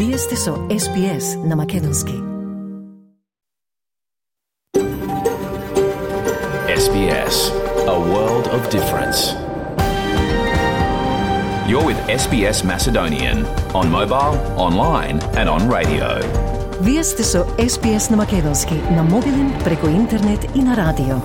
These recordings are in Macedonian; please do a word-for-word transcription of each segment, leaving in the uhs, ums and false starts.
Вие сте со Ес Би Ес на Македонски. Ес Би Ес, a world of difference. You're with Ес Би Ес Macedonian on mobile, online and on radio. Вие сте со Ес Би Ес на Македонски, на мобилен, преку интернет и на радио.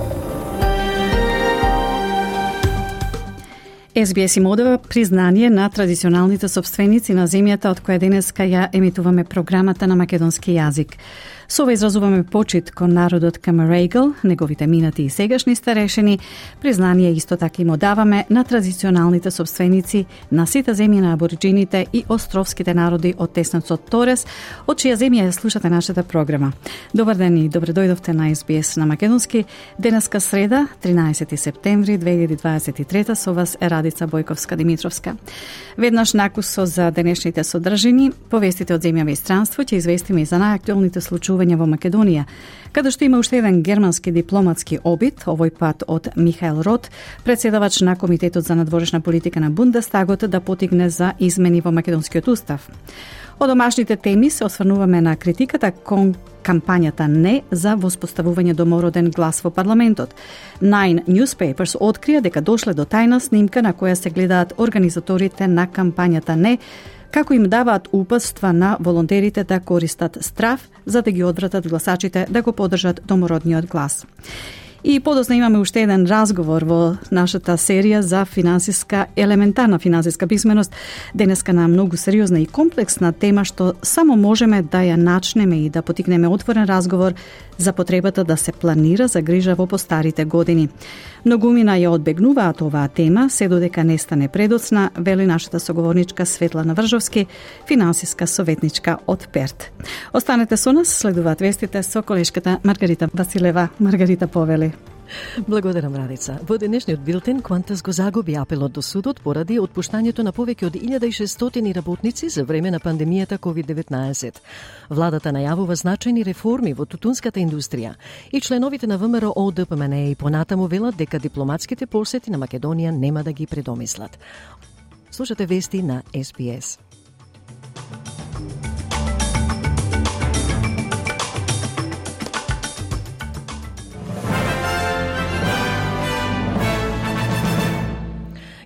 Ес Би Ес им одава признание на традиционалните собственици на земјата од која денеска ја емитуваме програмата на македонски јазик. Со ова изразуваме почит кон народот Камарейгл, неговите минати и сегашни старешини. Признание исто така им одаваме на традиционалните собственици на сите земји на абориджините и островските народи од теснецот Торес, од чија земја ја слушате нашата програма. Добар ден и добре дојдовте на Ес Би Ес на Македонски. Денеска среда, тринаесети септември две илјади дваесет и трета, со вас е Радица Бојковска-Димитровска. Веднаш накусо за денешните содржини, повестите од земјава и странство, ќе известиме и за најактуелните случаи во Македонија, каде што има уште еден германски дипломатски обид, овој пат од Михаел Рот, председавач на Комитетот за надворешна политика на Бундестагот, да потигне за измени во македонскиот устав. Од домашните теми се осврнуваме на критиката кон кампањата не за воспоставување домороден глас во парламентот. Nine Newspapers открија дека дошле до тајна снимка на која се гледаат организаторите на кампањата не, како им даваат упатства на волонтерите да користат страв за да ги одвратат гласачите да го поддржат домородниот глас. И подосна имаме уште еден разговор во нашата серија за финансиска, елементарна финансиска писменост, денеска на многу сериозна и комплексна тема што само можеме да ја начнеме и да потикнеме отворен разговор за потребата да се планира за грижа во постарите години. Многумина ја одбегнуваат оваа тема, се додека не стане предоцна, вели нашата соговорничка Светлана Вржовски, финансиска советничка од Перт. Останете со нас, следуваат вестите со колешката Маргарита Василева. Маргарита, повели. Благодарам, Радица. Во денешниот билтен Qantas го загуби апелот до судот поради отпуштањето на повеќе од илјада и шестстотини работници за време на пандемијата ковид деветнаесет. Владата најавува значајни реформи во тутунската индустрија и членовите на ВМРО Д П М Н и понатаму велат дека дипломатските посети на Македонија нема да ги предомислат. Слушате вести на Ес Би Ес.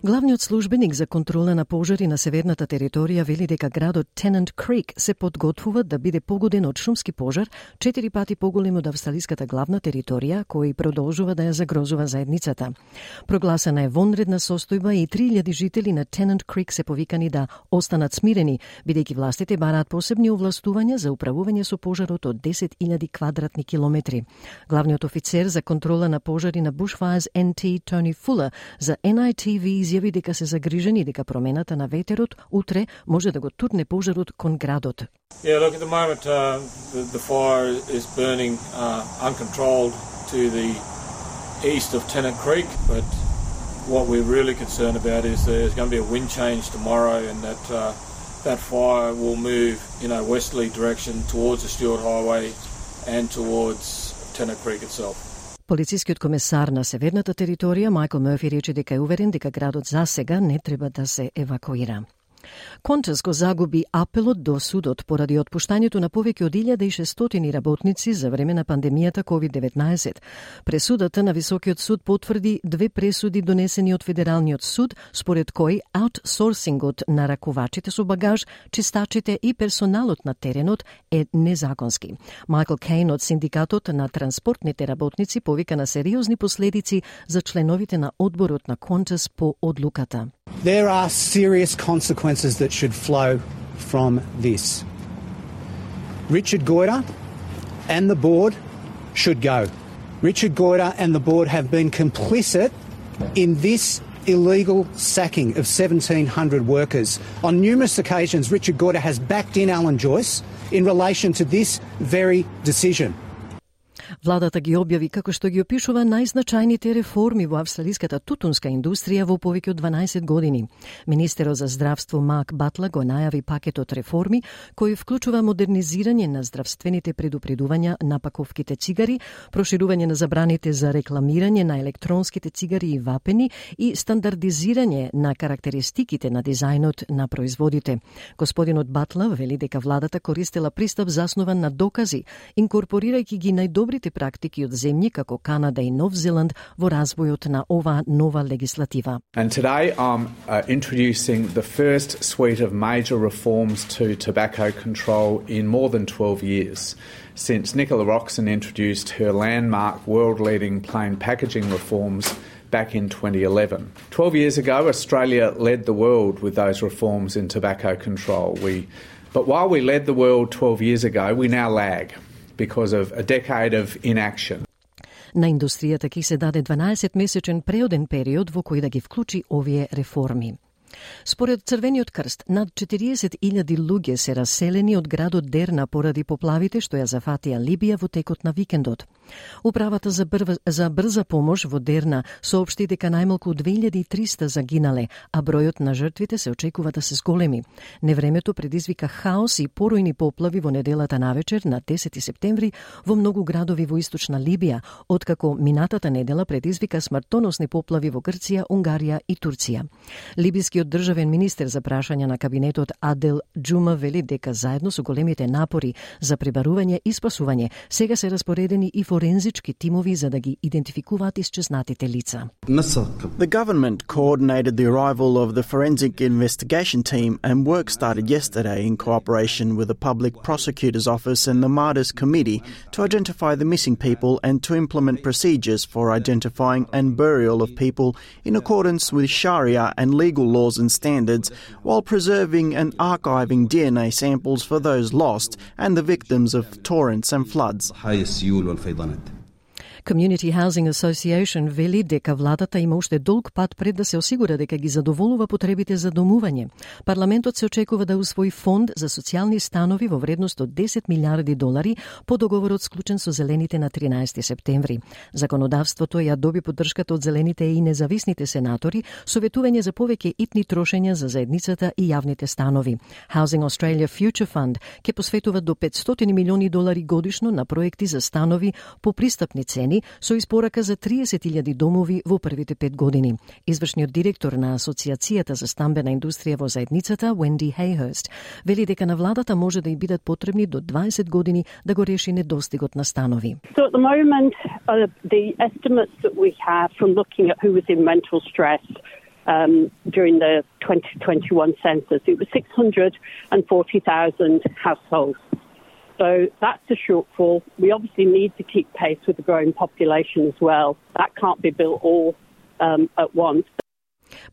Главниот службеник за контрола на пожари на северната територија вели дека градот Тенант Крик се подготвува да биде погоден од шумски пожар, четири пати поголем од австралиската главна територија, кој продолжува да ја загрозува заедницата. Прогласена е вонредна состојба и три илјади жители на Тенант Крик се повикани да останат смирени, бидејќи властите бараат посебни овластувања за управување со пожарот од десет илјади квадратни километри. Главниот офицер за контрола на пожари на Bushfires Н Т Тони Фулер за Ен Ай Ти Ви изјави дека се загрижени дека промената на ветерот утре може да го турне пожарот кон градот. Yeah, look, at the moment uh, the, the fire is burning uh, uncontrolled to the east of Tennant Creek, but what we're really concerned about is there's going to be a wind change tomorrow and that uh, that fire will move in a westerly direction towards the Stewart Highway and towards Tennant Creek itself. Полицискиот комесар на северната територија Майкл Мърфи рече дека е уверен дека градот засега не треба да се евакуира. Qantas го загуби апелот до судот поради отпуштањето на повеќе од илјада и шестстотини работници за време на пандемијата ковид деветнаесет. Пресудата на Високиот суд потврди две пресуди донесени од Федералниот суд, според кој аутсорсингот на ракувачите со багаж, чистачите и персоналот на теренот е незаконски. Майкл Кейн од Синдикатот на транспортните работници повика на сериозни последици за членовите на одборот на Qantas по одлуката. There are serious consequences that should flow from this. Richard Goyder and the board should go. Richard Goyder and the board have been complicit in this illegal sacking of seventeen hundred workers. On numerous occasions, Richard Goyder has backed in Alan Joyce in relation to this very decision. Владата ги објави како што ги опишува најзначајните реформи во австралиската тутунска индустрија во повеќе од дванаесет години. Министерот за здравство Марк Батлер го најави пакетот реформи кој вклучува модернизирање на здравствените предупредувања на паковките цигари, проширување на забраните за рекламирање на електронските цигари и вапени и стандардизирање на карактеристиките на дизајнот на производите. Господинот Батлер вели дека владата користела пристап заснован на докази, инкорпорирајќи ги најдобрите практики од земји како Канада и Нов Зеланд во развојот на оваа нова легислатива. And today I'm uh, introducing the first suite of major reforms to tobacco control in more than twelve years, since Nicola Roxon introduced her landmark world-leading plain packaging reforms back in twenty eleven. Twelve years ago, Australia led the world with those reforms in tobacco control. We, but while we led the world twelve years ago, we now lag because of a decade of inaction. На индустријата ќе се даде дванаесет-месечен преоден период во кој да ги вклучи овие реформи. Според Црвениот крст, над четириесет илјади луѓе се раселени од градот Дерна поради поплавите што ја зафатија Либија во текот на викендот. Управата за, брва, за брза помош во Дерна соопшти дека најмалку две илјади и триста загинале, а бројот на жртвите се очекува да се зголеми. Невремето предизвика хаос и поројни поплави во неделата навечер на десети септември во многу градови во источна Либија, откако минатата недела предизвика смртоносни поплави во Грција, Унгарија и Турција. Либискиот државен министер за прашања на кабинетот Адел Џума вели дека заедно со големите напори за пребарување и спасување сега се распоредени и форензички тимови за да ги идентификуваат исчезнатите лица. The government coordinated the arrival of the forensic investigation team and work started yesterday in cooperation with the Public Prosecutor's Office and the Martyrs Committee to identify the missing people and to implement procedures for identifying and burial of people in accordance with Sharia and legal laws and standards, while preserving and archiving D N A samples for those lost and the victims of torrents and floods. Community Housing Association вели дека владата има уште долг пат пред да се осигура дека ги задоволува потребите за домување. Парламентот се очекува да усвои фонд за социјални станови во вредност од десет милиарди долари по договорот склучен со Зелените на тринаесети септември. Законодавството ја доби поддршката од Зелените и независните сенатори, советување за повеќе итни трошења за заедницата и јавните станови. Housing Australia Future Fund ќе посветува до петстотини милиони долари годишно на проекти за станови по пристапни цени со испорака за триесет илјади домови во првите пет години. Извршниот директор на Асоциацијата за стамбена индустрија во заедницата, Wendy Hayhurst, вели дека на владата може да и бидат потребни до дваесет години да го реши недостигот на станови. So at the moment, uh, the estimates that we have from looking at who was in mental stress um, during the twenty twenty-one census, it was six hundred forty thousand households. So that's a shortfall. We obviously need to keep pace with the growing population as well. That can't be built all um, at once.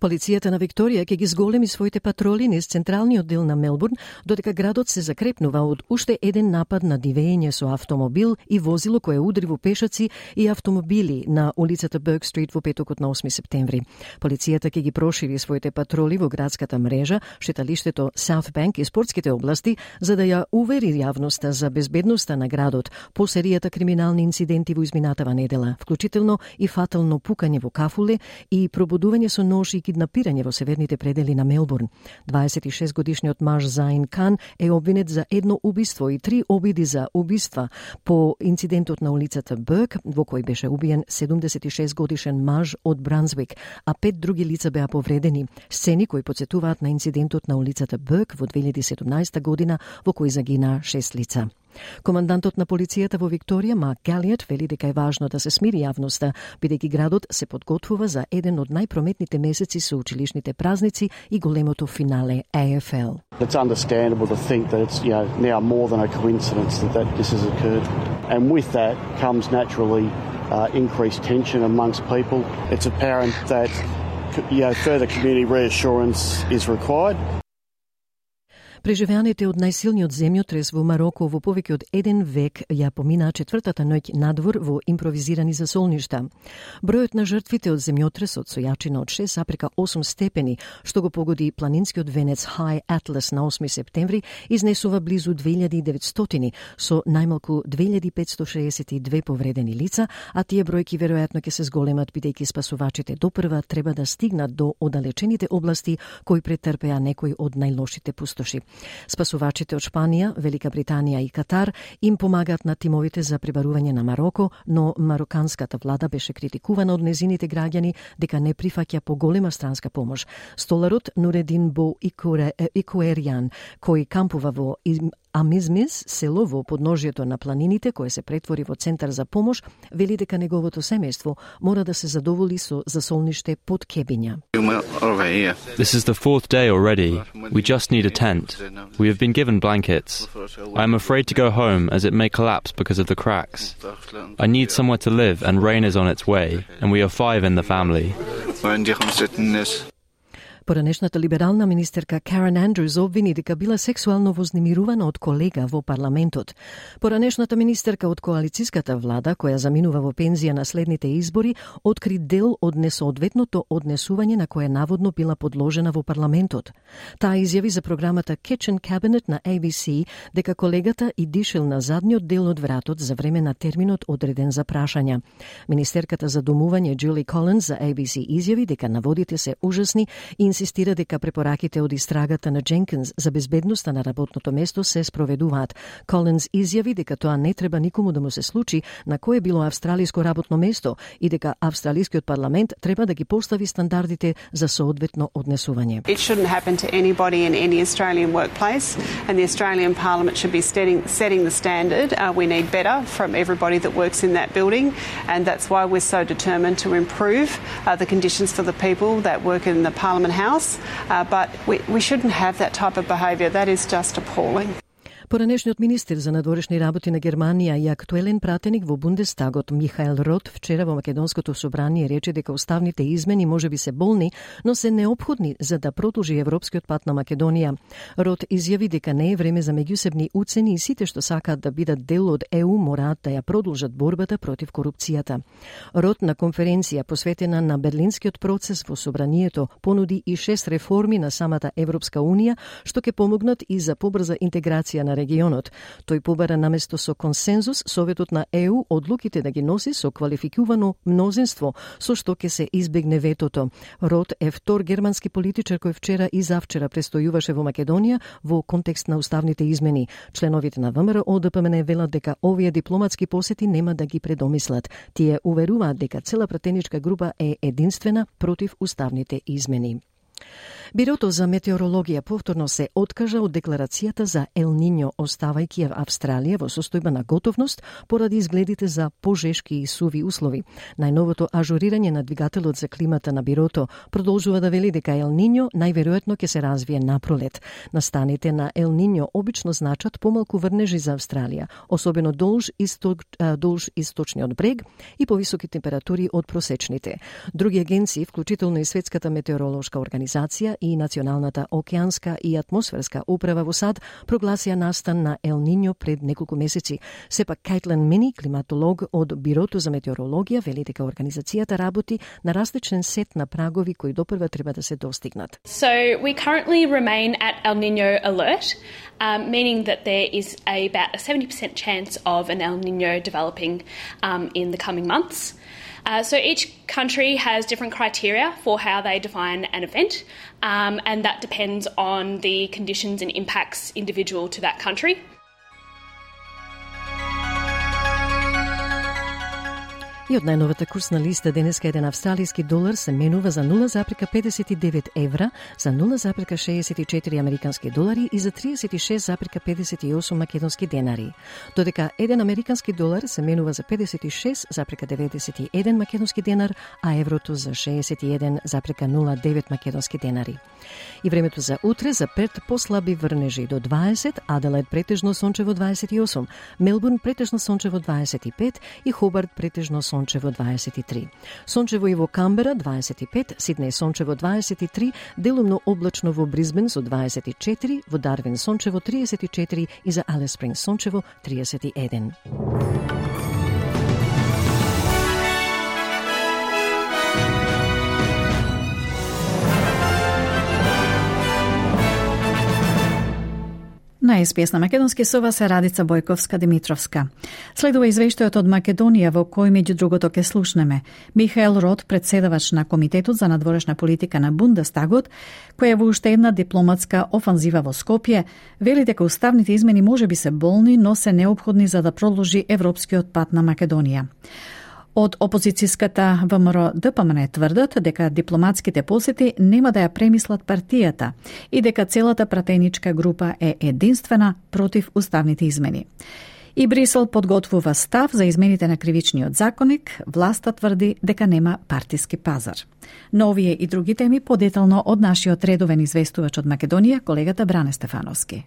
Полицијата на Викторија ќе ги зголеми своите патроли низ централниот дел на Мелбурн, додека градот се закрепнува од уште еден напад на дивење со автомобил и возило кое удри во пешаци и автомобили на улицата Берк Стрит во петокот на осми септември. Полицијата ќе ги прошири своите патроли во градската мрежа, шеталиштето South Bank и спортските области, за да ја увери јавноста за безбедноста на градот по серијата криминални инциденти во изминатава недела, вклучително и фатално пукање во кафуле и пробудување со нож и киднапирање во северните предели на Мелбурн. дваесет и шест годишниот маж Заин Кан е обвинет за едно убиство и три обиди за убиства по инцидентот на улицата Берк, во кој беше убиен седумдесет и шест годишен маж од Брансвик, а пет други лица беа повредени. Сцени кои потсетуваат на инцидентот на улицата Берк во две илјади и седумнаесета година, во кој загина шест лица. Командантот на полицијата во Викторија, Марк Галијат, вели дека е важно да се смири јавноста, бидејќи градот се подготвува за еден од најпрометните месеци со училишните празници и големото финале A F L. It's understandable to think that it's, you know, now more than a coincidence that, that this has occurred. And with that comes naturally uh, increased tension amongst people. It's apparent that, you know, further community reassurance is required. Преживеаните од најсилниот земјотрес во Мароко во повеќе од еден век ја поминаа четвртата ноќ надвор во импровизирани засолништа. Бројот на жртвите од земјотресот со јачина од шест зарез осум степени, што го погоди планинскиот венец High Atlas на осми септември, изнесува близу две илјади и деветстотини, со најмалку две илјади петстотини шеесет и две повредени лица, а тие бројки веројатно ќе се зголемат бидејќи спасувачите допрва треба да стигнат до оддалечените области кои претрпеа некои од најлошите пустоши. Спасувачите од Шпанија, Велика Британија и Катар им помагаат на тимовите за пребарување на Мароко, но мароканската влада беше критикувана од незините граѓани дека не прифаќа поголема странска помош. Столарот Нуредин Бо Икуеријан, кој кампува во Амизмис, село во подножјето на планините, кое се претвори во центар за помош, вели дека неговото семејство мора да се задоволи со засолниште под кебиња. This is the fourth day already. We just need a tent. We have been given blankets. I am afraid to go home as it may collapse because of the cracks. I need somewhere to live and rain is on its way, and we are five in the family. Поранешната либерална министерка Карен Андрюс обвини дека била сексуално вознемирувана од колега во парламентот. Поранешната министерка од коалициската влада, која заминува во пензија на следните избори, откри дел од несоодветното однесување на кое наводно била подложена во парламентот. Таа изјави за програмата Kitchen Cabinet на A B C дека колегата и дишел на задниот дел од вратот за време на терминот одреден за прашања. Министерката за домување Джули Колинс за A B C изјави дека наводите се ужасни и инсистира дека препораките од истрагата на Дженкинс за безбедноста на работното место се спроведуваат. Колинс изјави дека тоа не треба никому да му се случи на кое било австралиско работно место и дека австралискиот парламент треба да ги постави стандардите за соодветно однесување. It shouldn't happen to anybody in any Australian workplace, and the Australian Parliament should be setting, setting the standard. Uh, we need better from everybody that works in that building, and that's why we're so determined to improve uh, the conditions for the people that work in the Parliament House. Uh, but we, we shouldn't have that type of behaviour. That is just appalling. Поранешниот министер за надворешни работи на Германија и актуелен пратеник во Бундестагот Михаел Рот вчера во Македонското собрание рече дека уставните измени можеби се болни, но се неопходни за да продолжи европскиот пат на Македонија. Рот изјави дека не е време за меѓусебни уцени и сите што сакаат да бидат дел од Е У мораат да ја продолжат борбата против корупцијата. Рот на конференција посветена на берлинскиот процес во собранието понуди и шест реформи на самата Европска Унија што ќе помогнат и за побрза интеграција на регионот. Тој побара наместо со консензус Советот на Е У одлуките да ги носи со квалификувано мнозинство, со што ќе се избегне ветото. Рот е втор германски политичар кој вчера и завчера престојуваше во Македонија во контекст на уставните измени. Членовите на ВМРО О Д П М Н велат дека овие дипломатски посети нема да ги предомислат. Тие уверуваат дека цела пратеничка група е единствена против уставните измени. Бирото за метеорологија повторно се откажа од декларацијата за Ел Ниньо, оставајќи ја Австралија во состојба на готовност поради изгледите за пожешки и суви услови. Најновото ажурирање на двигателот за климата на Бирото продолжува да вели дека Ел Ниньо најверојатно ќе се развие напролет. Настаните на Ел Ниньо обично значат помалку врнежи за Австралија, особено долж, исток, долж источниот брег и повисоки температури од просечните. Други агенции, вклучително и Светската метеоролошка организација и Националната океанска и атмосферска управа во САД, прогласија настан на Ел Ниньо пред неколку месеци. Сепак Кајтлен Мини, климатолог од Бирото за метеорологија, вели дека организацијата работи на различен сет на прагови кои допрва треба да се достигнат. So we currently remain at El Niño alert, um, meaning that there is a, about a seventy percent chance of an El Niño developing um, in the coming months. Uh, so each country has different criteria for how they define an event, um, and that depends on the conditions and impacts individual to that country. И од најновата курсна листа денеска еден австралиски долар се менува за нула зарез педесет и девет евра, за нула зарез шеесет и четири американски долари и за триесет и шест зарез педесет и осум македонски денари. Додека еден американски долар се менува за педесет и шест зарез деветдесет и еден македонски денар, а еврото за шеесет и еден зарез нула девет македонски денари. И времето за утре за Перт послаби врнежи до дваесет, Аделаид претежно сончево дваесет и осум, Мелбурн претежно сончево дваесет и пет и Хобарт претежно сончево сончево дваесет и три. Сончево и во Камбера дваесет и пет, Сиднеј сончево дваесет и три, делумно облачно во Бризбен со дваесет и четири, во Дарвин сончево триесет и четири и за Алис Спрингс сончево триесет и еден. На Ес Би Ес на македонски со вас е Радица Бојковска-Димитровска. Следува извештајот од Македонија во кој меѓу другото ке слушнеме Михаел Рот, председавач на Комитетот за надворешна политика на Бундестагот, која во уште една дипломатска офанзива во Скопје вели дека уставните измени може би се болни, но се неопходни за да продолжи европскиот пат на Македонија. Од опозицијската Вэ Ем Р Д П М Н тврдат дека дипломатските посети нема да ја премислат партијата и дека целата пратеничка група е единствена против уставните измени. И Брисел подготвува став за измените на кривичниот законник, власта тврди дека нема партиски пазар. Но овие и други теми подетално од нашиот редовен известувач од Македонија, колегата Бране Стефановски.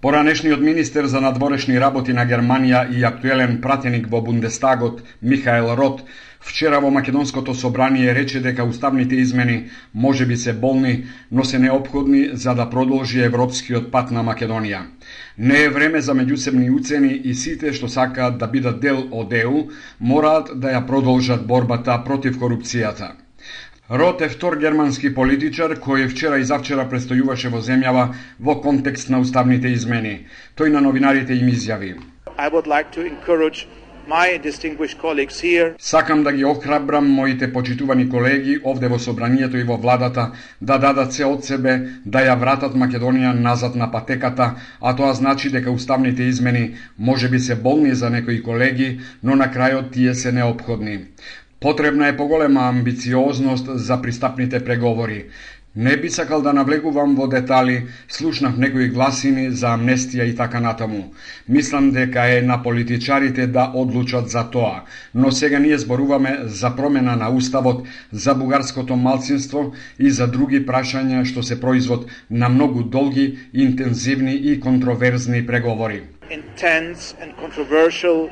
Поранешниот министер за надворешни работи на Германија и актуелен пратеник во Бундестагот Михаел Рот вчера во Македонското собрание рече дека уставните измени може би се болни, но се неопходни за да продолжи европскиот пат на Македонија. Не е време за меѓусебни уцени и сите што сакаат да бидат дел од Е У мораат да ја продолжат борбата против корупцијата. Рот е втор германски политичар кој вчера и завчера престојуваше во земјава во контекст на уставните измени. Тој на новинарите им изјави: I would like to encourage my distinguished colleagues here. Сакам да ги охрабрам моите почитувани колеги овде во собранието и во владата да дадат се од себе да ја вратат Македонија назад на патеката, а тоа значи дека уставните измени може би се болни за некои колеги, но на крајот тие се неопходни. Потребна е поголема амбициозност за пристапните преговори. Не би сакал да навлегувам во детали, слушнав некои гласини за амнестија и така натаму. Мислам дека е на политичарите да одлучат за тоа, но сега ние зборуваме за промена на уставот, за бугарското малцинство и за други прашања што се производ на многу долги, интензивни и контроверзни преговори. Intense and controversial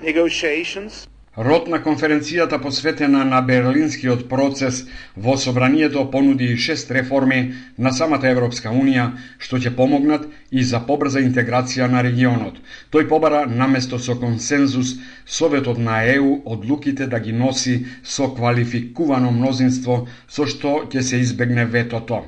negotiations. Рот на конференцијата посветена на Берлинскиот процес во собранието понуди шест реформи на самата Европска Унија што ќе помогнат и за побрза интеграција на регионот. Тој побара наместо со консензус Советот на Е У одлуките да ги носи со квалификувано мнозинство со што ќе се избегне ветото.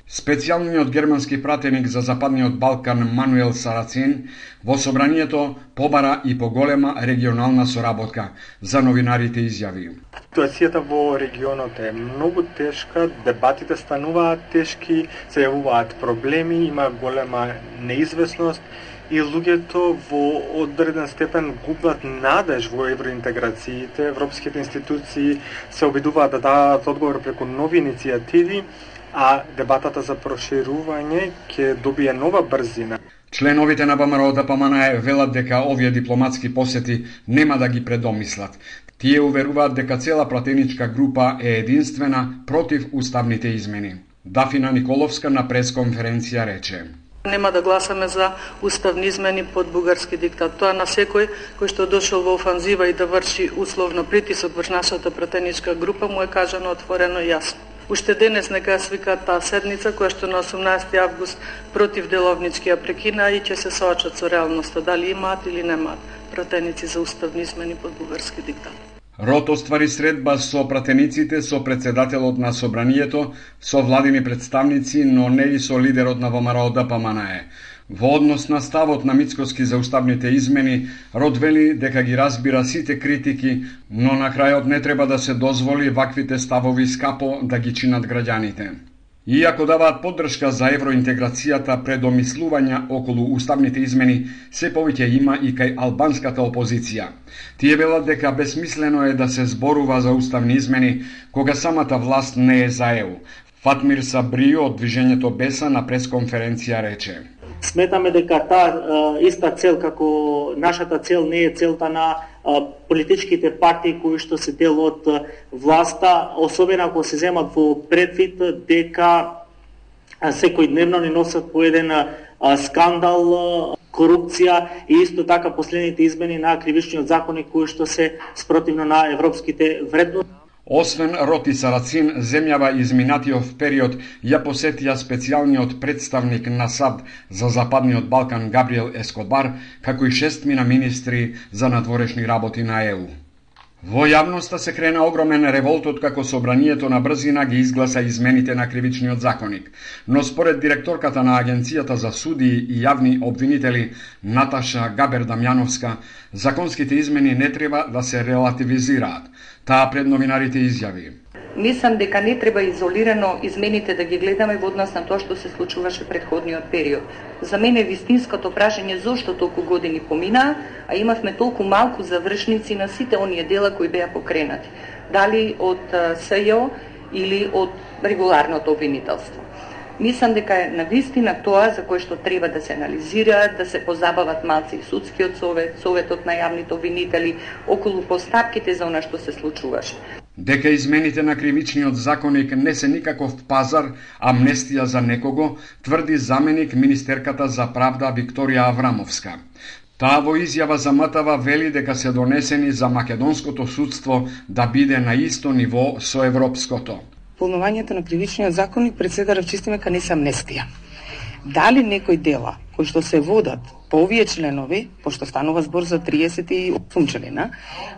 Специјалниот германски пратеник за Западниот Балкан Мануел Сарацин во собранието побара и поголема регионална соработка. За новинарите изјави: Ситуацијата во регионот е многу тешка, дебатите стануваат тешки, се јавуваат проблеми, има голема неизвестност и луѓето во одреден степен губат надеж во евроинтеграциите. Европските институции се обидуваат да дадат одговор преку нови иницијативи, а дебатата за проширување ќе добие нова брзина. Членовите на Вэ Ем Р Д П М Н велат дека овие дипломатски посети нема да ги предомислат. Тие уверуваат дека цела пратеничка група е единствена против уставните измени. Дафина Николовска на пресконференција рече: Нема да гласаме за уставни измени под бугарски диктат. Тоа на секој кој што дошол во офанзива и да врши условно притисок врз нашата пратеничка група му е кажано отворено и јасно. Уште денес нека ја свикаат таа седница која што на осумнаесети август против деловнички ја прекина и ќе се соочат со реалноста дали имаат или немаат пратеници за уставни измени под бугарски диктат. Рот оствари средба со пратениците, со председателот на собранието, со владини представници, но не и со лидерот на Вэ Ем Р Д П М Н. Во однос на ставот на Мицкоски за уставните измени, Рот вели дека ги разбира сите критики, но на крајот не треба да се дозволи ваквите ставови скапо да ги чинат граѓаните. Иако даваат поддршка за евроинтеграцијата, предомислувања околу уставните измени се повеќе има и кај албанската опозиција. Тие велат дека бесмислено е да се зборува за уставни измени кога самата власт не е за Е У. Фатмир Сабрио од движењето Беса на пресконференција рече: Сметаме дека таа иста цел како нашата цел не е целта на политичките партии кои што се дел од власта, особено ако се земат во предвид дека секојдневно ни носат по еден скандал корупција и исто така последните измени на кривичниот законник кои што се спротивно на европските вредности. Освен Роти Сарацин, земјава изминатиот период ја посетија специјалниот представник на САД за Западниот Балкан Габриел Ескобар, како и шестмина министри за надворешни работи на Е У. Во јавноста се крена огромен револт откако собранието на брзина ги изгласа измените на кривичниот законник, но според директорката на Агенцијата за судии и јавни обвинители Наташа Габер-Дамјановска, законските измени не треба да се релативизираат. Таа пред новинарите изјави: Мислам дека не треба изолирано измените да ги гледаме во однос на тоа што се случуваше предходниот период. За мене вистинското прашање зошто толку години поминаа, а имавме толку малку завршници на сите оние дела кои беа покренати, дали од С Ј О или од регуларното обвинителство. Мислам дека е навистина тоа за кое што треба да се анализира, да се позабават малци и судскиот совет, советот на јавните обвинители околу постапките за она што се случуваше. Дека измените на кривичниот законник не се никаков пазар, амнестија за некого, тврди заменик министерката за правда Викторија Аврамовска. Таа во изјава за М Т В вели дека се донесени за македонското судство да биде на исто ниво со европското. Полнувањето на кривичниот законник пред сега рачистиме ка не се амнестија. Дали некои дела кои што се водат по овие членови, пошто станува збор за триесет и осум члена,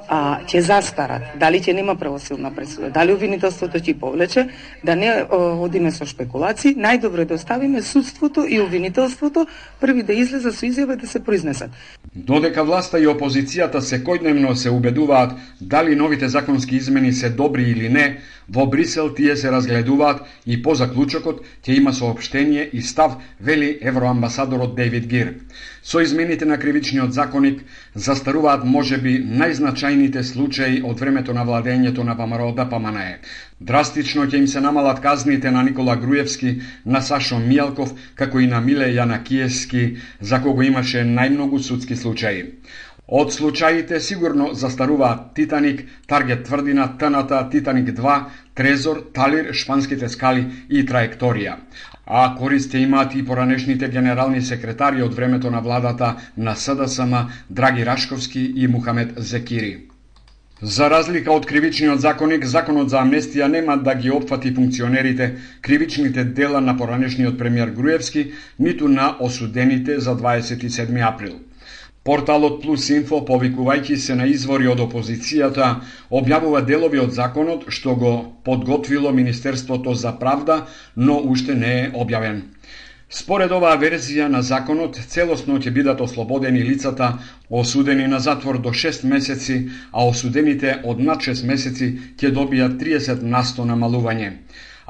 а, ќе застарат, дали ќе нема правосилна пресуда, дали обвинителството ќе повлече, да не о, одиме со шпекулации, најдобро е да оставиме судството и обвинителството први да излезат со изјава да се произнесат. Додека власта и опозицијата секојдневно се убедуваат дали новите законски измени се добри или не, во Брисел тие се разгледуваат и по заклучокот ќе има соопштение и став, вели евроамбасадорот Дейвид Гир. Со измените на кривичниот законник застаруваат можеби најзначајните случаи од времето на владењето на П М Р Д П М Н Е. Драстично ќе им се намалат казните на Никола Груевски, на Сашо Мијалков, како и на Миле Јанакиевски, за кого имаше најмногу судски случаи. Од случаите сигурно застаруваат Титаник, Таргет тврдина, Тната, Титаник два, Трезор, Талир, Шпанските скали и Траекторија. А корист имаат и поранешните генерални секретари од времето на владата на С Д С М, Драги Рашковски и Мухамед Зекири. За разлика од кривичниот законник, законот за амнестија нема да ги опфати функционерите кривичните дела на поранешниот премиер Груевски, ниту на осудените за дваесет и седми април. Порталот Плюс Инфо, повикувајќи се на извори од опозицијата, објавува делови од законот што го подготвило Министерството за правда, но уште не е објавен. Според оваа верзија на законот, целосно ќе бидат ослободени лицата осудени на затвор до шест месеци, а осудените од над шест месеци ќе добијат триесет на сто намалување.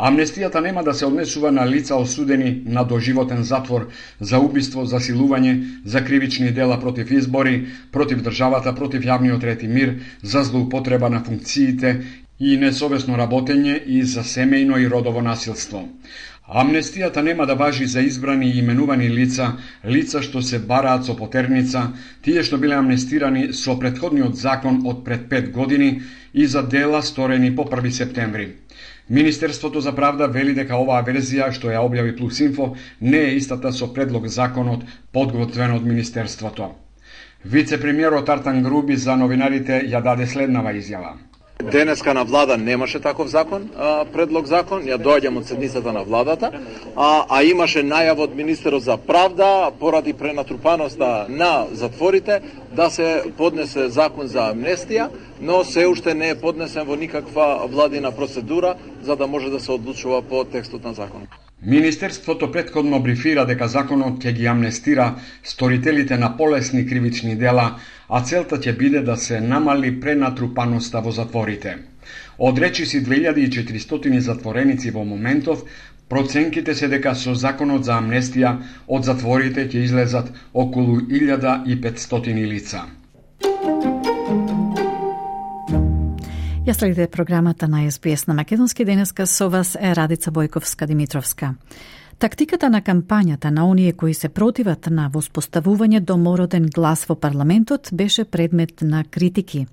Амнестијата нема да се однесува на лица осудени на доживотен затвор за убиство, засилување, за кривични дела против избори, против државата, против јавниот ред и мир, за злоупотреба на функциите и несовесно работење и за семејно и родово насилство. Амнестијата нема да важи за избрани и именувани лица, лица што се бараат со потерница, тие што биле амнестирани со претходниот закон од пред пет години и за дела сторени по први септември. Министерството за правда вели дека оваа верзија што ја објави Плюс Инфо не е истата со предлог законот подготвен од Министерството. Вице-премиерот Артан Груби за новинарите ја даде следнава изјава. Денеска на влада немаше таков закон, а, предлог закон, ја доаѓам од седницата на владата, а, а имаше најава од министерот за правда поради пренатрупаноста на затворите да се поднесе закон за амнестија, но се уште не е поднесен во никаква владина процедура за да може да се одлучува по текстот на законот. Министерството претходно брифира дека законот ќе ги амнестира сторителите на полесни кривични дела, а целта ќе биде да се намали пренатрупаноста во затворите. Од речиси две илјади и четиристотини затвореници во моментов, проценките се дека со законот за амнестија од затворите ќе излезат околу илјада и петстотини лица. Ја следите програмата на Ес Би Ес на македонски. Денеска со вас е Радица Бојковска-Димитровска. Тактиката на кампањата на оние кои се противат на воспоставување домороден глас во парламентот беше предмет на критики.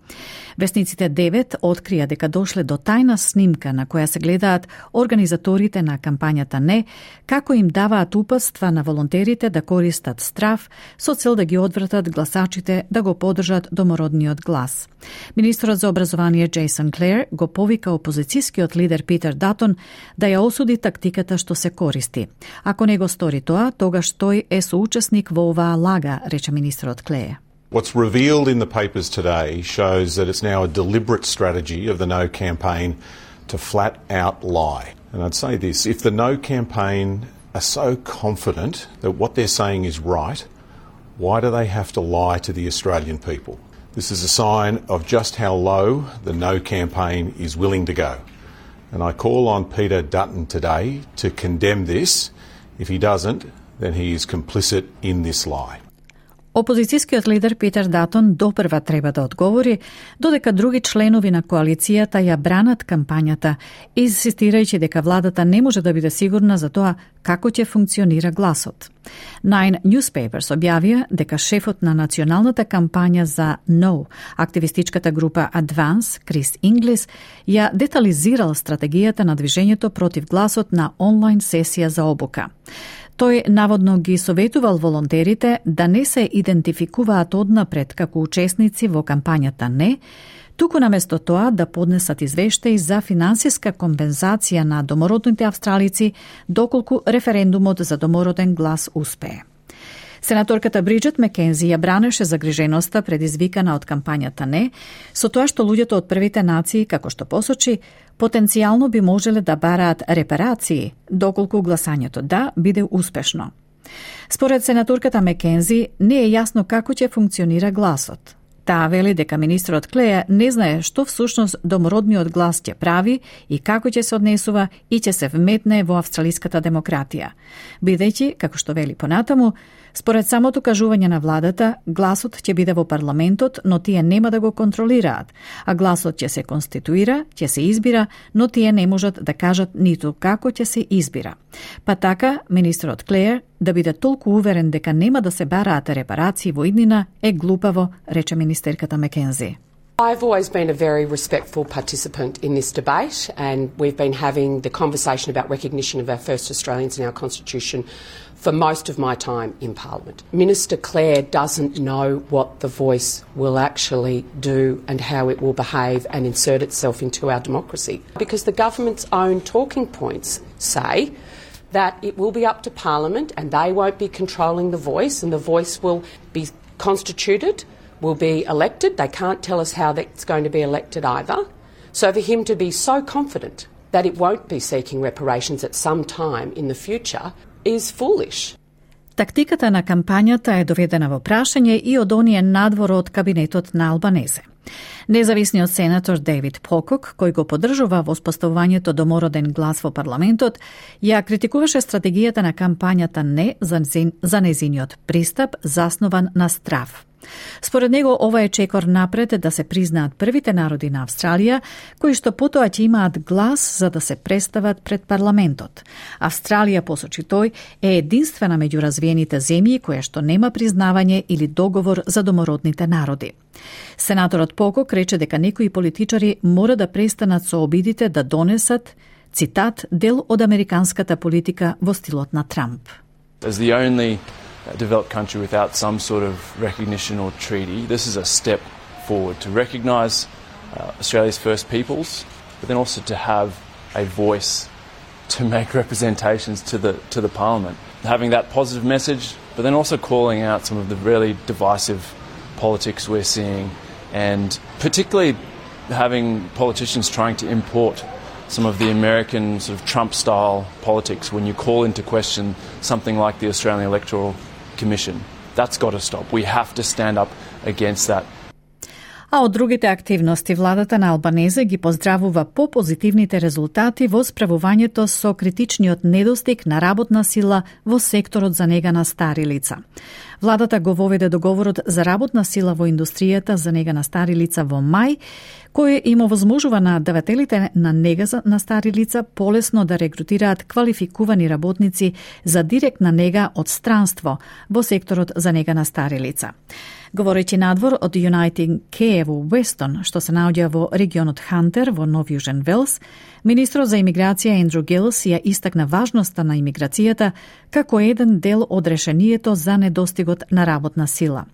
Вестниците девет открија дека дошле до тајна снимка на која се гледаат организаторите на кампањата не, како им даваат упатства на волонтерите да користат страв со цел да ги одвратат гласачите да го поддржат домородниот глас. Министерот за образование Джейсон Клер го повика опозицијскиот лидер Питер Датон да ја осуди тактиката што се користи. Ако не го стори тоа, тогаш тој е соучесник во оваа лага, рече министерот Клеј. What's revealed in the papers today shows that it's now a deliberate strategy of the No campaign to flat out lie. And I'd say this, if the No campaign are so confident that what they're saying is right, why do they have to lie to the Australian people? This is a sign of just how low the No campaign is willing to go. And I call on Peter Dutton today to condemn this. If he doesn't, then he is complicit in this lie. Опозицијскиот лидер Питер Датон допрва треба да одговори, додека други членови на коалицијата ја бранат кампањата, инсистирајќи дека владата не може да биде сигурна за тоа како ќе функционира гласот. Nine Newspapers објавија дека шефот на националната кампања за No, активистичката група Advance, Крис Инглис, ја детализирал стратегијата на движењето против гласот на онлайн сесија за обука. Тој наводно ги советувал волонтерите да не се идентификуваат однапред како учесници во кампањата не, туку наместо тоа да поднесат извештаи за финансиска компензација на домородните австралици доколку референдумот за домороден глас успее. Сенаторката Бриджет Мекензи ја бранеше загриженоста предизвикана од кампањата не, со тоа што луѓето од првите нации, како што посочи, потенцијално би можеле да бараат репарации, доколку гласањето да биде успешно. Според сенаторката Мекензи, не е јасно како ќе функционира гласот. Таа вели дека министерот Клеја не знае што всушност домородниот глас ќе прави и како ќе се однесува и ќе се вметне во австралиската демократија. Бидејќи, како што вели понатаму, според самото кажување на владата, гласот ќе биде во парламентот, но тие нема да го контролираат, а гласот ќе се конституира, ќе се избира, но тие не можат да кажат ниту како ќе се избира. Па така, министерот Клејер да биде толку уверен дека нема да се бараат репарации во иднина е глупаво, рече министерката Мекензи. I've always been a very respectful participant in this debate, and we've been having the conversation about recognition of our first Australians in our Constitution for most of my time in Parliament. Minister Clare doesn't know what the Voice will actually do and how it will behave and insert itself into our democracy, because the government's own talking points say that it will be up to Parliament and they won't be controlling the Voice, and the Voice will be constituted, will be elected. They can't tell us how that's going to be elected either. So for him to be so confident that it won't be seeking reparations at some time in the future is foolish. Тактиката на кампањата е доведена во прашање и од оние надвор од кабинетот на Албанезе. Независниот сенатор Дейвид Покок, кој го поддржува воспоставувањето домороден глас во парламентот, ја критикуваше стратегијата на кампањата не за, за незиниот пристап заснован на страв. Според него, ова е чекор напред да се признаат првите народи на Австралија, кои што потоа ќе имаат глас за да се представат пред парламентот. Австралија, посочи тој, е единствена меѓу развиените земји која што нема признавање или договор за домородните народи. Сенаторот Покок рече дека некои политичари мора да престанат со обидите да донесат, цитат, дел од американската политика во стилот на Трамп. As the only developed country without some sort of recognition or treaty, this is a step forward to recognise uh, Australia's First Peoples, but then also to have a voice to make representations to the to the Parliament. Having that positive message, but then also calling out some of the really divisive politics we're seeing, and particularly having politicians trying to import some of the American sort of Trump-style politics when you call into question something like the Australian Electoral Commission. That's got to stop. We have to stand up against that. А од другите активности, владата на Албанезе ги поздравува по позитивните резултати во справувањето со критичниот недостиг на работна сила во секторот за нега на стари лица. Владата го воведе договорот за работна сила во индустријата за нега на стари лица во мај, кој им овозможува на давателите на нега на стари лица полесно да рекрутираат квалификувани работници за директна нега од странство во секторот за нега на стари лица. Говорејќи надвор од United Care во Weston, што се наоѓа во регионот Хантер во Нов Јужен Велс, министрот за имиграција Ендрю Гилс ја истакна важноста на имиграцијата како еден дел од решението за недостигот на работна сила.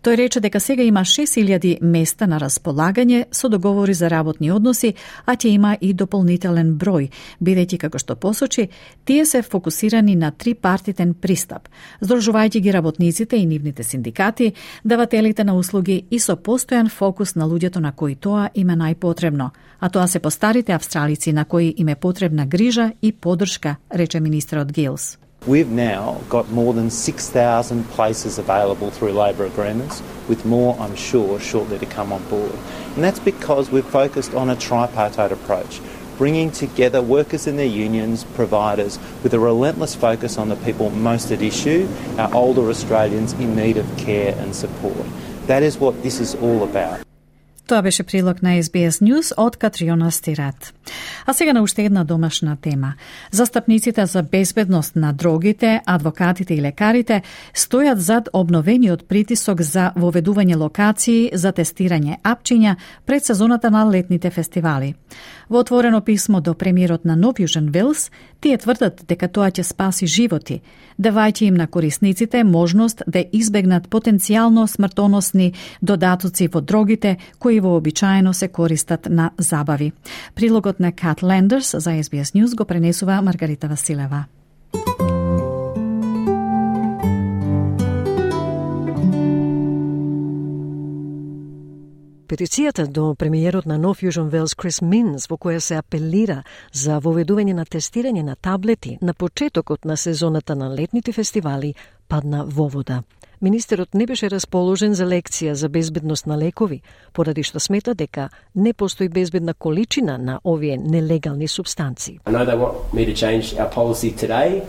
Тој рече дека сега има шест илјади места на располагање со договори за работни односи, а ќе има и дополнителен број, бидејќи, како што посочи, тие се фокусирани на трипартитен пристап, здружувајќи ги работниците и нивните синдикати, давателите на услуги и со постојан фокус на луѓето на кои тоа им е најпотребно, а тоа се постарите австралици на кои им е потребна грижа и поддршка, рече министерот Гилс. We've now got more than six thousand places available through labour agreements, with more, I'm sure, shortly to come on board. And that's because we've focused on a tripartite approach, bringing together workers and their unions, providers, with a relentless focus on the people most at issue, our older Australians in need of care and support. That is what this is all about. Тоа беше прилог на Ес Би Ес News од Катриона Стират. А сега на уште една домашна тема. Застапниците за безбедност на дрогите, адвокатите и лекарите стојат зад обновениот притисок за воведување локации за тестирање апчиња пред сезоната на летните фестивали. Во отворено писмо до премиерот на Нов Јужен Велс, тие тврдат дека тоа ќе спаси животи, давајќи им на корисниците можност да избегнат потенцијално смртоносни додатоци во дрогите кои вообичаено се користат на забави. Прилогот на Кат Лендерс за Ес Би Ес News го пренесува Маргарита Василева. Петицијата до премиерот на Нов Јужен Велс Крис Минс, во која се апелира за воведување на тестирање на таблети на почетокот на сезоната на летните фестивали, падна во вода. Министерот не беше расположен за лекција за безбедност на лекови, поради што смета дека не постои безбедна количина на овие нелегални субстанци. I know they want me to change our policy today,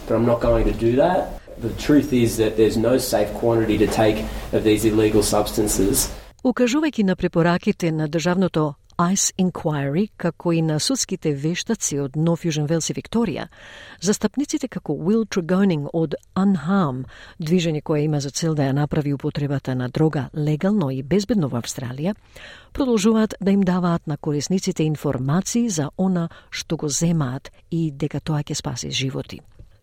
but I'm not going to do that. The truth is that there's no safe quantity to take of these illegal substances. Укажувајќи на препораките на државното Ice Inquiry, како и на судските вештаци од Нов Јужен Велс и Викторија, застапниците како Will Tregoning од Unharm, движење кое има за цел да ја направи употребата на дрога легално и безбедно во Австралија, продолжуваат да им даваат на корисниците информации за она што го земаат и дека тоа ќе спаси животи.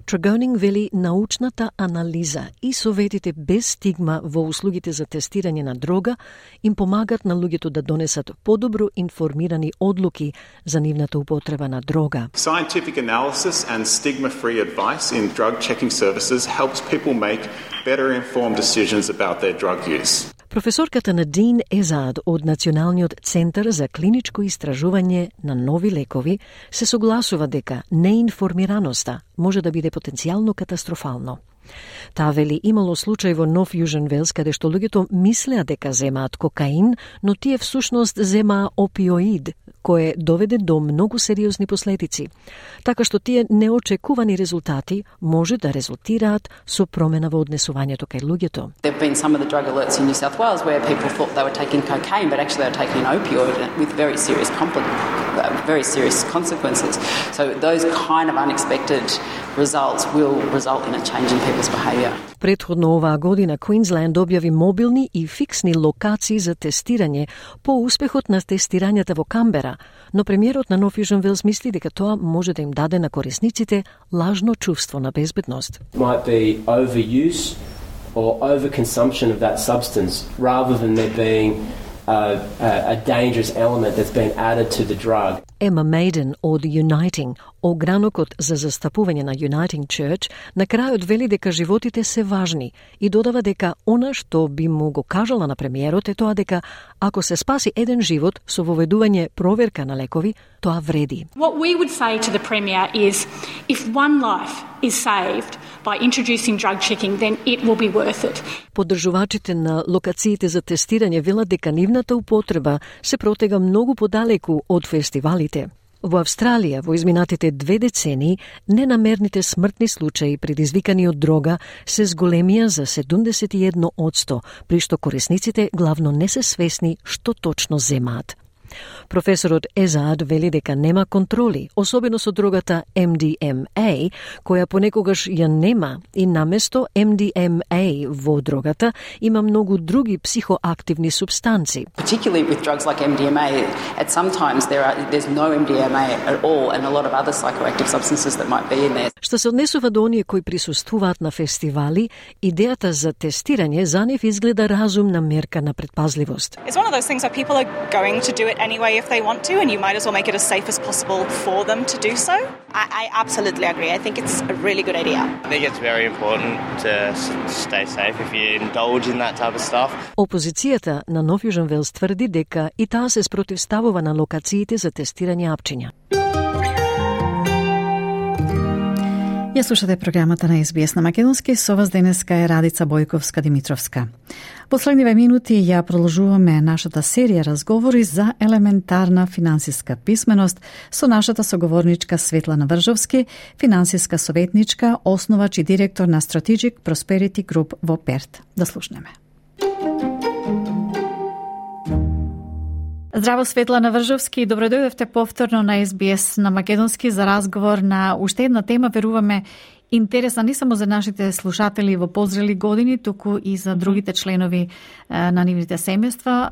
Tregoning вели научната анализа и советите без стигма во услугите за тестирање на дрога им помагат на луѓето да донесат подобро информирани одлуки за нивната употреба на дрога. Scientific analysis and stigma-free advice in drug checking services helps people make better informed decisions about their drug use. Професорката Надин Езад од Националниот центар за клиничко истражување на нови лекови се согласува дека неинформираноста може да биде потенцијално катастрофално. Таа вели имало случај во Нов Јужен Велс каде што луѓето мислеа дека земаат кокаин, но тие всушност земаа опиоид, кое доведе до многу сериозни последици. Така што тие неочекувани резултати може да резултираат со промена во однесувањето кај луѓето. There've been some of the drug alerts in New South Wales where people thought they were taking cocaine, but actually they were taking an opioid with very serious very serious consequences. So those kind of unexpected results will result in a change in people's behaviour. Претходно оваа година Квинсленд објави мобилни и фиксни локации за тестирање по успехот на тестирањата во Камбера, но премиерот на Нов Јужен Велс мисли дека тоа може да им даде на корисниците лажно чувство на безбедност. Might be overuse or overconsumption of that substance rather than there being a, a, a dangerous element that's been added to the drug. Emma Maiden од Uniting, огранокот за застапување на Uniting Church, на крајот вели дека животите се важни и додава дека она што би му го кажала на премиерот е тоа дека ако се спаси еден живот со воведување проверка на лекови, тоа вреди. What we would say to the Premier is if one life is saved by introducing drug checking, then it will be worth it. Поддржувачите на локациите за тестирање велат дека нивната употреба се протега многу подалеку од фестивалите. Во Австралија, во изминатите две децении, ненамерните смртни случаи предизвикани од дрога се зголемија за седумдесет и едно одсто, при што корисниците главно не се свесни што точно земаат. Професорот Езад вели дека нема контроли, особено со дрогата Ем Ди Ем Ей, која понекогаш ја нема и наместо Ем Ди Ем Ей во дрогата има многу други психоактивни субстанци. Particularly with drugs like Ем Ди Ем Ей, at sometimes there are there's no Ем Ди Ем Ей at all and a lot of other psychoactive substances that might be in there. Што се однесува до оние кои присуствуваат на фестивали, идејата за тестирање за нив изгледа разумна мерка на предпазливост. It's one of those things that people are going to do it anyway if they want to, and you might as well make it as safe as possible for them to do so. I, I absolutely agree. I think it's a really good idea. I think it's very important to stay safe if you indulge in that type of stuff. Опозицијата на Нов Јужен Велс тврди дека и таа се спротивставува на локациите за тестирање апчиња. Ја слушате програмата на Ес Би Ес на македонски, со вас денеска е Радица Бојковска-Димитровска. Последниве минути ја продолжуваме нашата серија разговори за елементарна финансиска писменост со нашата соговорничка Светлана Вржовски, финансиска советничка, основач и директор на Strategic Prosperity Group во Перт. Да слушнеме. Здраво, Светлана Вржовски, добро дојдовте повторно на Ес Би Ес на македонски за разговор на уште една тема, веруваме, интересна не само за нашите слушатели во позрели години, туку и за другите членови на нивните семејства.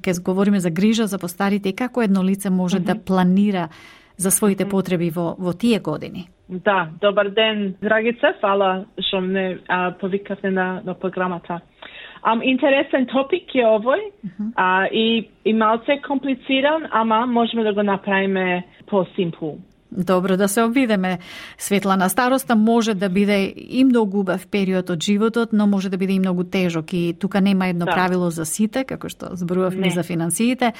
Ке говориме за грижа за постарите и како едно лице може mm-hmm. да планира за своите потреби во, во тие години. Да, добар ден, Драгица, фала што ме повикавте на, на програмата. Um, интересен топик е овој uh-huh. а, и, и малце комплициран, ама можеме да го направиме по-симпл. Добро, да се обидеме, Светлана. Староста може да биде и многу убав период од животот, но може да биде и многу тежок и тука нема едно да. правило за сите, како што зборувавме за финансиите.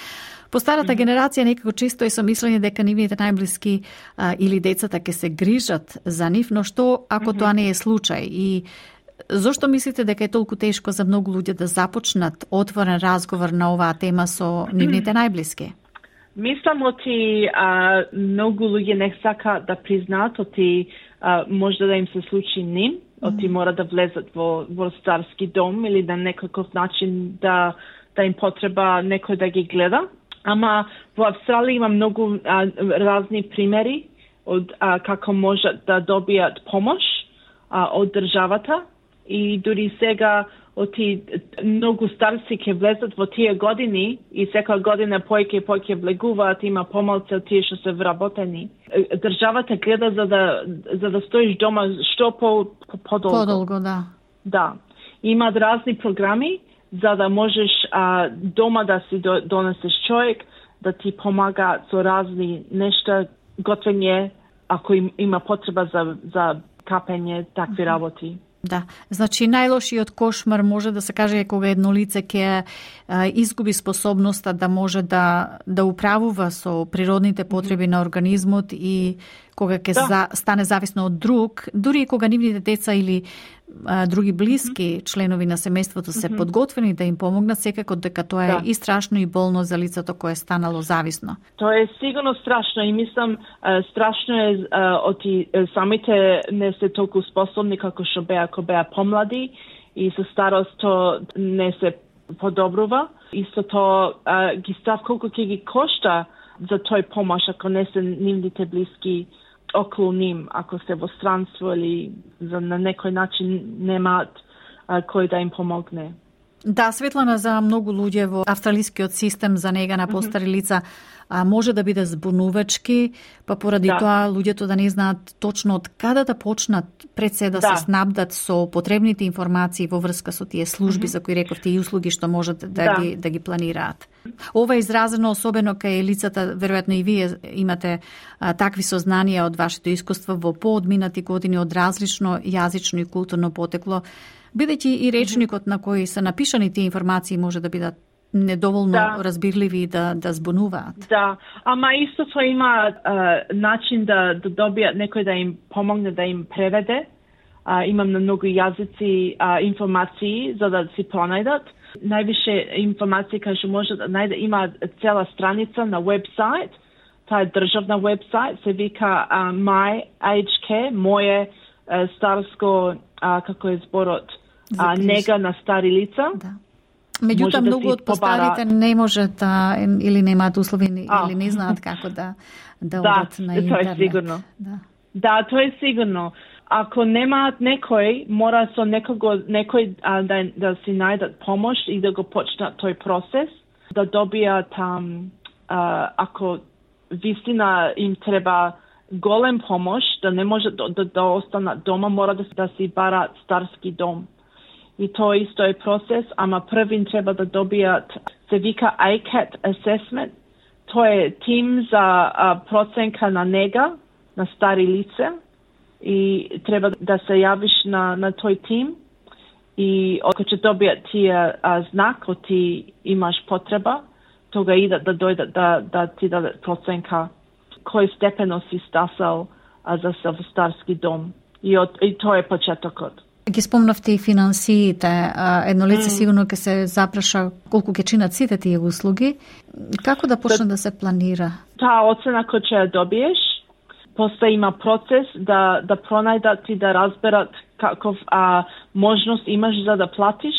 Постарата mm-hmm. генерација некако чисто е со мислење дека нивните најблиски а, или децата ќе се грижат за нив, но што ако mm-hmm. тоа не е случај? И зошто мислите дека е толку тешко за многу луѓе да започнат отворен разговор на оваа тема со нивните најблиски? Мислам оти а, многу луѓе не сака да признаат оти а, може да им се случи ним, оти мора да влезат во, во старски дом или на некаков начин да, да им потреба некој да ги гледа. Ама во Австралија има многу а, разни примери од а, како можат да добијат помош а, од државата. И дури сега оти многу старци ќе влезат во тие години и секоја година појќе и појќе влегуваат, има помалце од тие што се вработени. Државата гледа за да за да стоиш дома што по подолго. Подолго, да. Да. Има разни програми за да можеш а, дома да си донесеш човек да ти помага со разни нешта, готвење, ако им, има потреба за за капење, такви работи. Да, значи најлошиот кошмар може да се каже кога едно лице ќе изгуби способноста да може да да управува со природните потреби на организмот и кога ќе да. за, стане зависно од друг, дури и кога нивните деца или а, други блиски mm-hmm. членови на семејството се mm-hmm. подготвени да им помогнат, секако дека тоа е да. и страшно и болно за лицето кое е станало зависно. Тоа е сигурно страшно и мислам страшно е оти самите не се толку способни како што беа кога беа помлади и со старост то не се подобрува. Исто тоа ги став колку ќе ги кошта за тој помош ако не се нивните блиски околу ним, ако се во странство или за на некој начин немаат а, кој да им помогне. Да, Светлана, за многу луѓе во австралискиот систем за нега на постари лица а, може да биде збунувачки, па поради да. тоа луѓето да не знаат точно од каде да почнат пред се да, да. се снабдат со потребните информации во врска со тие служби mm-hmm. за кои рековте и услуги што можат да, да. Ги, да ги планираат. Ова е изразено особено кај лицата, веројатно и вие имате а, такви сознанија од вашето искуство во поодминати години од различно јазично и културно потекло, бидејќи и речникот на кој се напишани тие информации може да бидат недоволно да. разбирливи да да збунуваат. Да, ама исто тоа има а, начин да да добијат некој да им помогне да им преведе. А, имам на многу јазици а, информации за да си пронајдат. Највише информации кај што може да најде, има цела страница на вебсайт. Таа е државна вебсайт, се вика а, My Aged Care, моје а, старско а, како е зборот, а, нега на стари лица. Да. Меѓутоа, да многу од постарите не може да, или немаат услови, а. или не знаат како да, да, да одат на интернет. Да, тоа е сигурно. Да. да, тоа е сигурно. Ако немаат некој, мора со некого, некој а, да, да си најдат помош и да го почнат тој процес, да добијат, um, а, ако вистина им треба голем помош, да не може да, да, да останат дома, мора да, да си бараат старски дом. И тоа исто е процес, ама првин треба да добијат, се вика A C A T assessment. Тоа е тим за а, проценка на нега на стари лице и треба да се јавиш на, на тој тим и ако ќе добијат тие а, знак, ако ти имаш потреба, тога идат да дојдат да, да ти дадат проценка кој степено си стасал а, за се во старски дом. И, од, и тоа е почетокот. Ги спомнавте и финансиите. Едно лице mm. сигурно ќе се запраша колку ќе чинат сите тие услуги. Како да почне да, да се планира? Таа оцена која ќе ја добиеш, после има процес да да пронајдат и да разберат каков а, можност имаш за да платиш,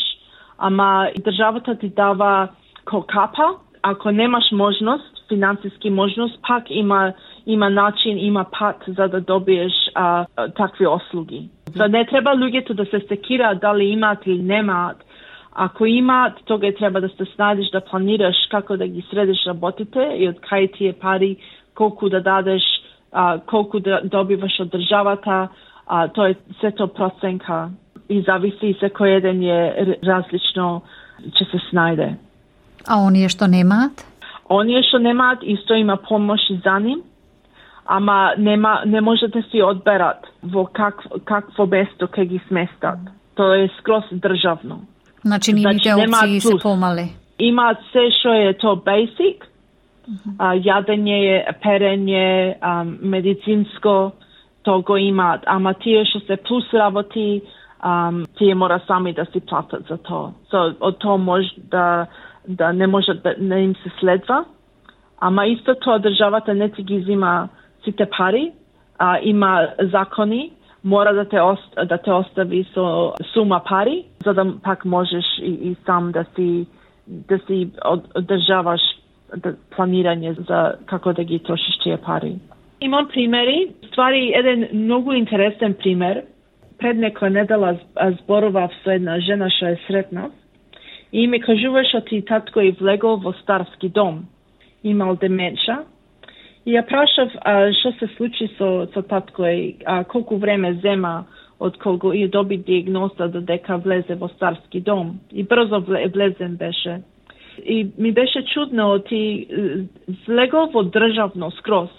ама државата ти дава кокапа. Ако немаш можност, финансиски можност, пак има има начин, има пат за да добиеш а, такви услуги. За не треба луѓето да се секираат дали имаат или немаат. Ако имаат, тога треба да се снајдеш да планираш како да ги средиш работите и од кај тие пари, колку да дадеш, а, колку да добиваш од државата, а, тоа е сето проценка и зависи секој еден е различно ќе се снајде. А оние што немаат? Оние што немаат исто има помош и за ним, ама нема, не може да си одберат во как, какво место ке ги сместат. Тоа е скроз државно. Значи, нивните опции се помале. Имаат се што е то basic, uh-huh. а, јадење, перење, а, медицинско, то го имаат. Ама тие што се плюс работи, а, тие мора сами да си платат за тоа. So, од тоа може да, да не може да не им се следва. Ама исто тоа државата не ти ги зима сите пари, а, има закони, мора да те, ост, да те остави со сума пари, за да пак можеш и, и сам да си, да си одржаваш да, планирање за како да ги трошиш тие пари. Имам примери, ствари еден многу интересен пример. Пред некоја недела зборував со една жена што е сретна и ми кажуваше ти татко е влегол во старски дом, имал деменча. И ја прашав а, што се случи со, со татко и а, колку време зема од кога и доби диагноза додека влезе во старски дом. И брзо влезен беше. И ми беше чудно, ти влегол во државно скроз.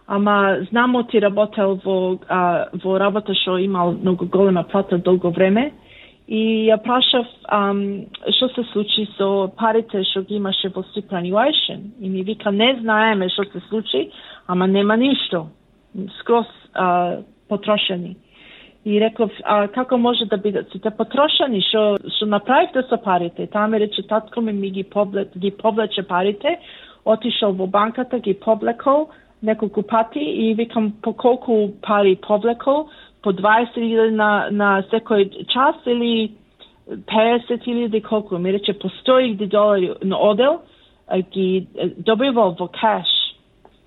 Ама знамо ти работел во, а, во работа што имал многу голема плата долго време. И ја прашав ам, што се случи со парите што ги имаше во superannuation. И ми вика, не знаеме што се случи, ама нема ништо. Скроз а, потрошени. И реков, а како може да бидат сите потрошени? Што што направивте со парите? Таа ми рече, татко ми, ми ги, повле, ги повлече парите, отишол во банката, ги повлекол неколку пати и викам, по колку пари повлекол? По дваесет илјади на, на секој час или песет илјади колку? Ми рече по сто илјади долари на одел ги добивал во кеш.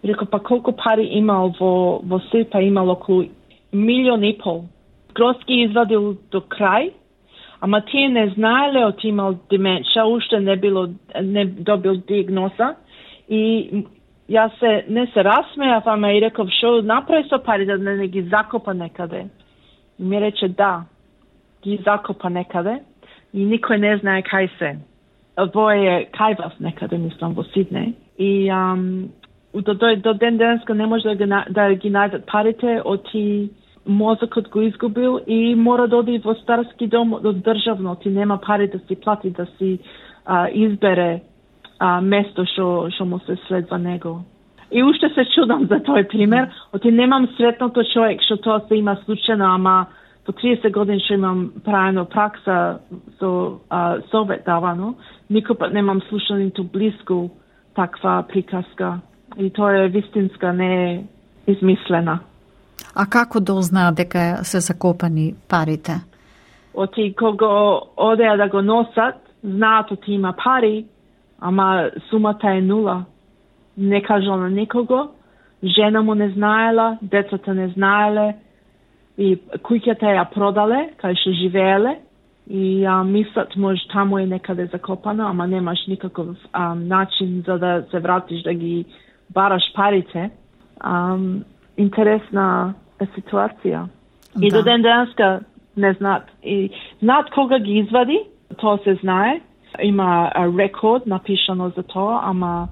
Реко, па колку пари имал во, во сир, па имал околу милион и пол. Скроз ги извадил до крај, ама тие не знаеле од имал деменција, уште не било не добил диагноза и јас се не се расмеав, ама и реков што направи со парите, да не ги закопа некаде. И ми рече да, ги закопа некаде и никој не знае кај се. Во е кај вас некаде, мислам, во Сиднеј. И ам, до, до, до ден денеска не може да ги, да ги најдат парите, оти мозокот го изгубил и мора да оди во старски дом од државно, ти нема пари да си плати, да си а, избере а, место што што му се следва него. И уште се чудам за тој пример, оти немам сретното човек што тоа се има случајно, ама по триесет години што имам правено пракса со а, совет давано, никој пат немам слушано ниту блиску таква приказка. И тоа е вистинска, не е измислена. А како дознаат дека се закопани парите? Оти кога одеа да го носат, знаат оти има пари, ама сумата е нула. Не кажал на никого, жена му не знаела, децата не знаеле, и куќата ја продале, кај што живееле, и а, мислат може таму е некаде закопано, ама немаш никаков а, начин за да се вратиш да ги бараш парите. А, интересна е ситуација. Да. И до ден денеска не знаат. И знаат кога ги извади, тоа се знае. Има рекорд напишано за тоа, ама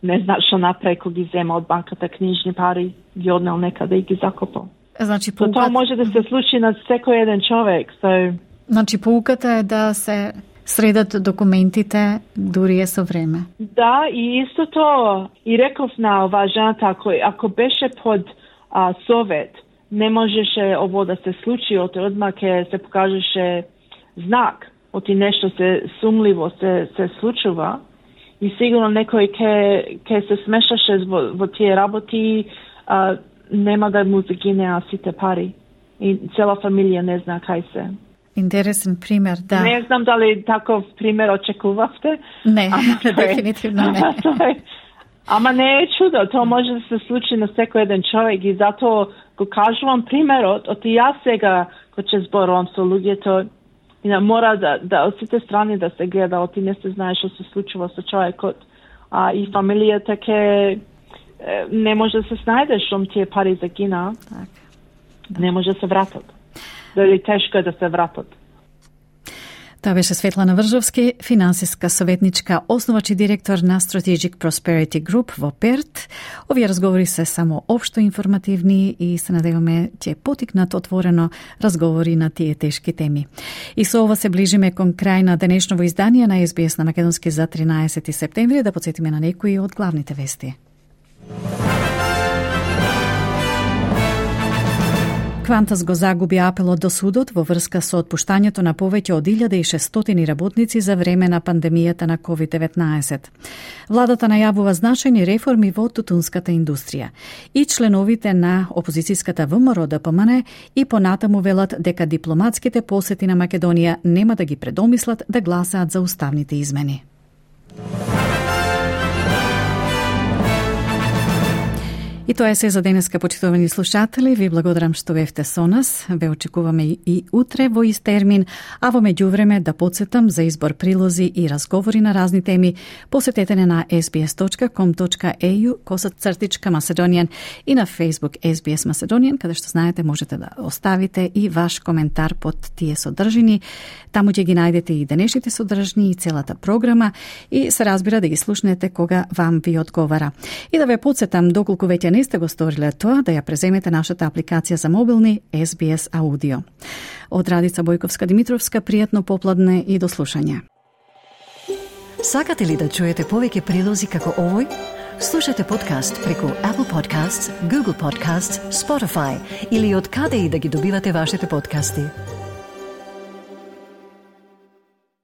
не знаат што направи кога ги зема од банката книжни пари, ги однел некаде и ги закопал. Значи, so, тоа може да се случи на секој еден човек. So... Значи, поуката е да се средат документите дури е со време. Да, и исто тоа. И реков на оваа жената, ако, ако беше под а, совет, не можеше ово да се случи, оти одма ке се покажеше знак, оти нешто се сумливо се, се случува, и сигурно некој ке, ке се смешаше во, во тие работи, а, нема да му загинеа сите пари. И цела фамилија не зна кај се. Интересен пример, да. Не знам дали таков пример очекувавте. Не, ама, дефинитивно не. Ама, ама не е чудо, тоа може да се случи на секој еден човек и затоа го кажувам примерот, оти јас сега кој ќе зборувам со луѓето, и на мора да, да од сите страни да се гледа, оти не се знае што се случува со човекот, а и фамилијата ке не може да се снајде што тие пари загина. Так. Не може да се вратат. Дали тешко е да се вратат. Тоа беше Светлана Вржовски, финансиска советничка, основач и директор на Strategic Prosperity Group во Перт. Овие разговори се само општо информативни и се надеваме ќе потикнат отворено разговори на тие тешки теми. И со ова се ближиме кон крај на денешново издание на Ес Би Ес на Македонски за тринаесети септември, да потсетиме на некои од главните вести. Квантас го загуби апелот до судот во врска со отпуштањето на повеќе од илјада и шестстотини работници за време на пандемијата на ковид деветнаесет. Владата најавува значајни реформи во тутунската индустрија. И членовите на опозицијската Вэ Ем Ар О Д П М Н и понатаму велат дека дипломатските посети на Македонија нема да ги предомислат да гласаат за уставните измени. И тоа е се за денеска, почитувани слушатели. Ви благодарам што бевте со нас. Ве очекуваме и утре во ист термин, а во меѓувреме да потсетам за избор прилози и разговори на разни теми. Посетете не на ес би ес точка ком точка е ю косат цртичка Macedonian и на Facebook Ес Би Ес Macedonian, каде што знаете можете да оставите и ваш коментар под тие содржини. Таму ќе ги најдете и денешните содржини и целата програма и се разбира да ги слушнете кога вам ви одговара. И да ве потсетам, доколку веќе не сте го сториле тоа, да ја преземете нашата апликација за мобилни Ес Би Ес Аудио. Од Радица Бојковска-Димитровска, пријатно попладне и до слушање. Сакате ли да чуете повеќе прилози како овој? Слушате подкаст преку Apple Podcasts, Google Podcasts, Spotify или од каде и да ги добивате вашите подкасти.